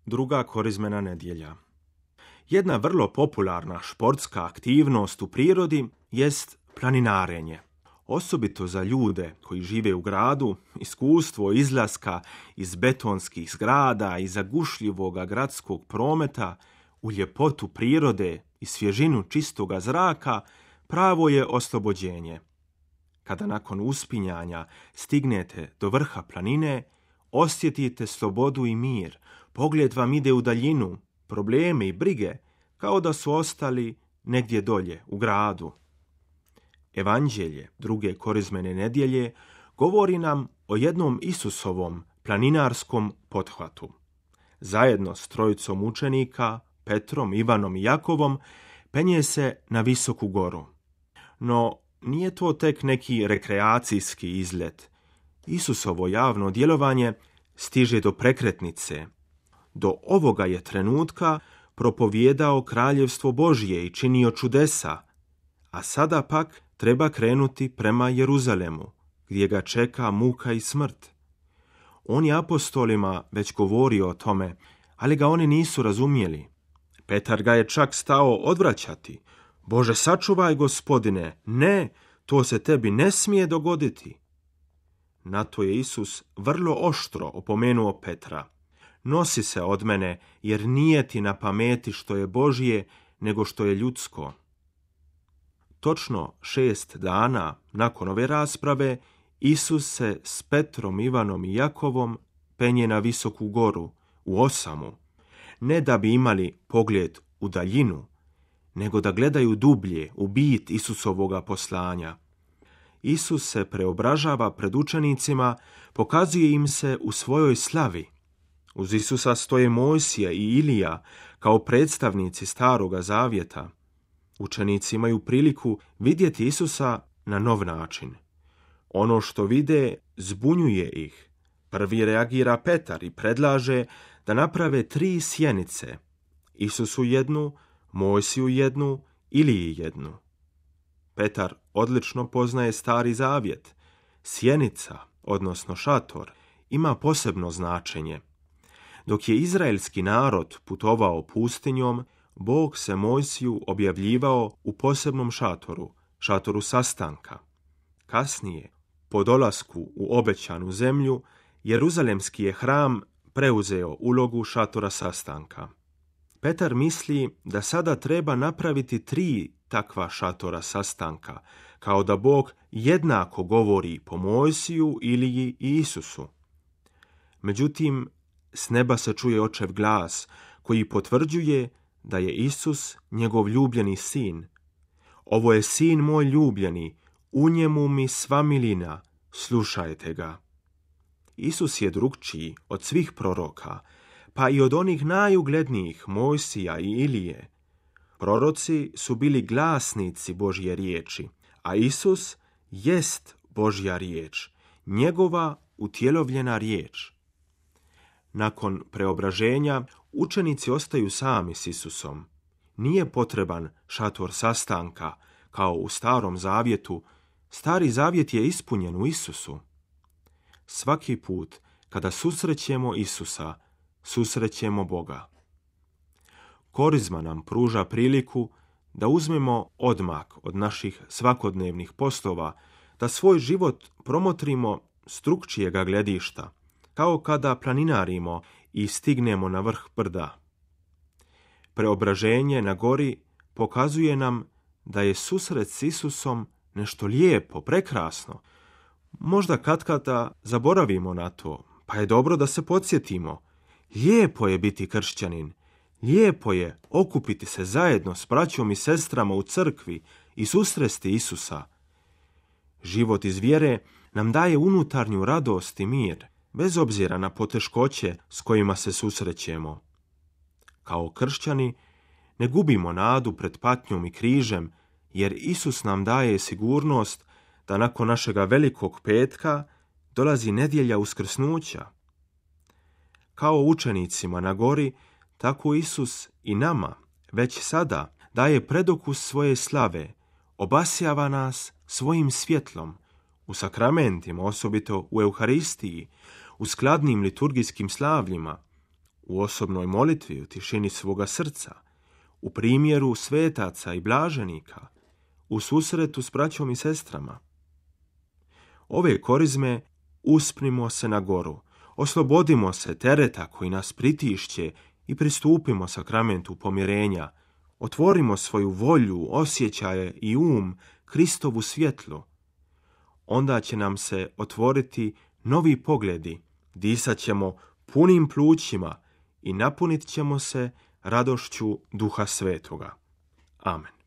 Druga korizmena nedjelja. Jedna vrlo popularna športska aktivnost u prirodi jest planinarenje. Osobito za ljude koji žive u gradu, iskustvo izlaska iz betonskih zgrada i zagušljivoga gradskog prometa u ljepotu prirode i svježinu čistoga zraka pravo je oslobođenje. Kada nakon uspinjanja stignete do vrha planine, osjetite slobodu i mir, pogled vam ide u daljinu, probleme i brige kao da su ostali negdje dolje u gradu. Evanđelje druge korizmene nedjelje govori nam o jednom Isusovom planinarskom pothvatu. Zajedno s trojicom učenika, Petrom, Ivanom i Jakovom, penje se na visoku goru. No, nije to tek neki rekreacijski izlet. Isusovo javno djelovanje stiže do prekretnice. Do ovoga je trenutka propovijedao kraljevstvo Božje i činio čudesa, a sada pak treba krenuti prema Jeruzalemu, gdje ga čeka muka i smrt. On je apostolima već govorio o tome, ali ga oni nisu razumjeli. Petar ga je čak stao odvraćati. Bože, sačuvaj, Gospodine, ne, to se tebi ne smije dogoditi. Na to je Isus vrlo oštro opomenuo Petra. Nosi se od mene, jer nije ti na pameti što je Božje, nego što je ljudsko. Točno 6 dana nakon ove rasprave, Isus se s Petrom, Ivanom i Jakovom penje na visoku goru, u osamu, ne da bi imali pogled u daljinu, nego da gledaju dublje u bit Isusovoga poslanja. Isus se preobražava pred učenicima, pokazuje im se u svojoj slavi. Uz Isusa stoje Mojsija i Ilija kao predstavnici Staroga Zavjeta. Učenici imaju priliku vidjeti Isusa na nov način. Ono što vide zbunjuje ih. Prvi reagira Petar i predlaže da naprave 3 sjenice. Isusu jednu, Mojsiju jednu, Iliji jednu. Petar odlično poznaje Stari Zavjet. Sjenica, odnosno šator, ima posebno značenje. Dok je izraelski narod putovao pustinjom, Bog se Mojsiju objavljivao u posebnom šatoru, šatoru sastanka. Kasnije, po dolasku u obećanu zemlju, Jeruzalemski je hram preuzeo ulogu šatora sastanka. Petar misli da sada treba napraviti 3 takva šatora sastanka, kao da Bog jednako govori po Mojsiju, Iliji i Isusu. Međutim, s neba se čuje očev glas koji potvrđuje da je Isus njegov ljubljeni sin. Ovo je sin moj ljubljeni, u njemu mi sva milina, slušajte ga. Isus je drukčiji od svih proroka, pa i od onih najuglednijih Mojsija i Ilije. Proroci su bili glasnici Božje riječi, a Isus jest Božja riječ, njegova utjelovljena riječ. Nakon preobraženja, učenici ostaju sami s Isusom. Nije potreban šator sastanka, kao u Starom Zavjetu. Stari Zavjet je ispunjen u Isusu. Svaki put kada susrećemo Isusa, susrećemo Boga. Korizma nam pruža priliku da uzmemo odmak od naših svakodnevnih poslova, da svoj život promotrimo s drukčijega gledišta, kao kada planinarimo i stignemo na vrh brda. Preobraženje na gori pokazuje nam da je susret s Isusom nešto lijepo, prekrasno. Možda katkada zaboravimo na to, pa je dobro da se podsjetimo. Lijepo je biti kršćanin, lijepo je okupiti se zajedno s braćom i sestrama u crkvi i susresti Isusa. Život iz vjere nam daje unutarnju radost i mir, bez obzira na poteškoće s kojima se susrećemo. Kao kršćani ne gubimo nadu pred patnjom i križem, jer Isus nam daje sigurnost da nakon našega velikog petka dolazi nedjelja uskrsnuća. Kao učenicima na gori, tako Isus i nama već sada daje predokus svoje slave, obasjava nas svojim svjetlom, u sakramentima, osobito u Euharistiji, u skladnim liturgijskim slavljima, u osobnoj molitvi, u tišini svoga srca, u primjeru svetaca i blaženika, u susretu s braćom i sestrama. Ove korizme uspnimo se na goru, oslobodimo se tereta koji nas pritišće i pristupimo sakramentu pomirenja, otvorimo svoju volju, osjećaje i Kristovu svjetlu. Onda će nam se otvoriti novi pogledi, disat ćemo punim plućima i napunit ćemo se radošću Duha Svetoga. Amen.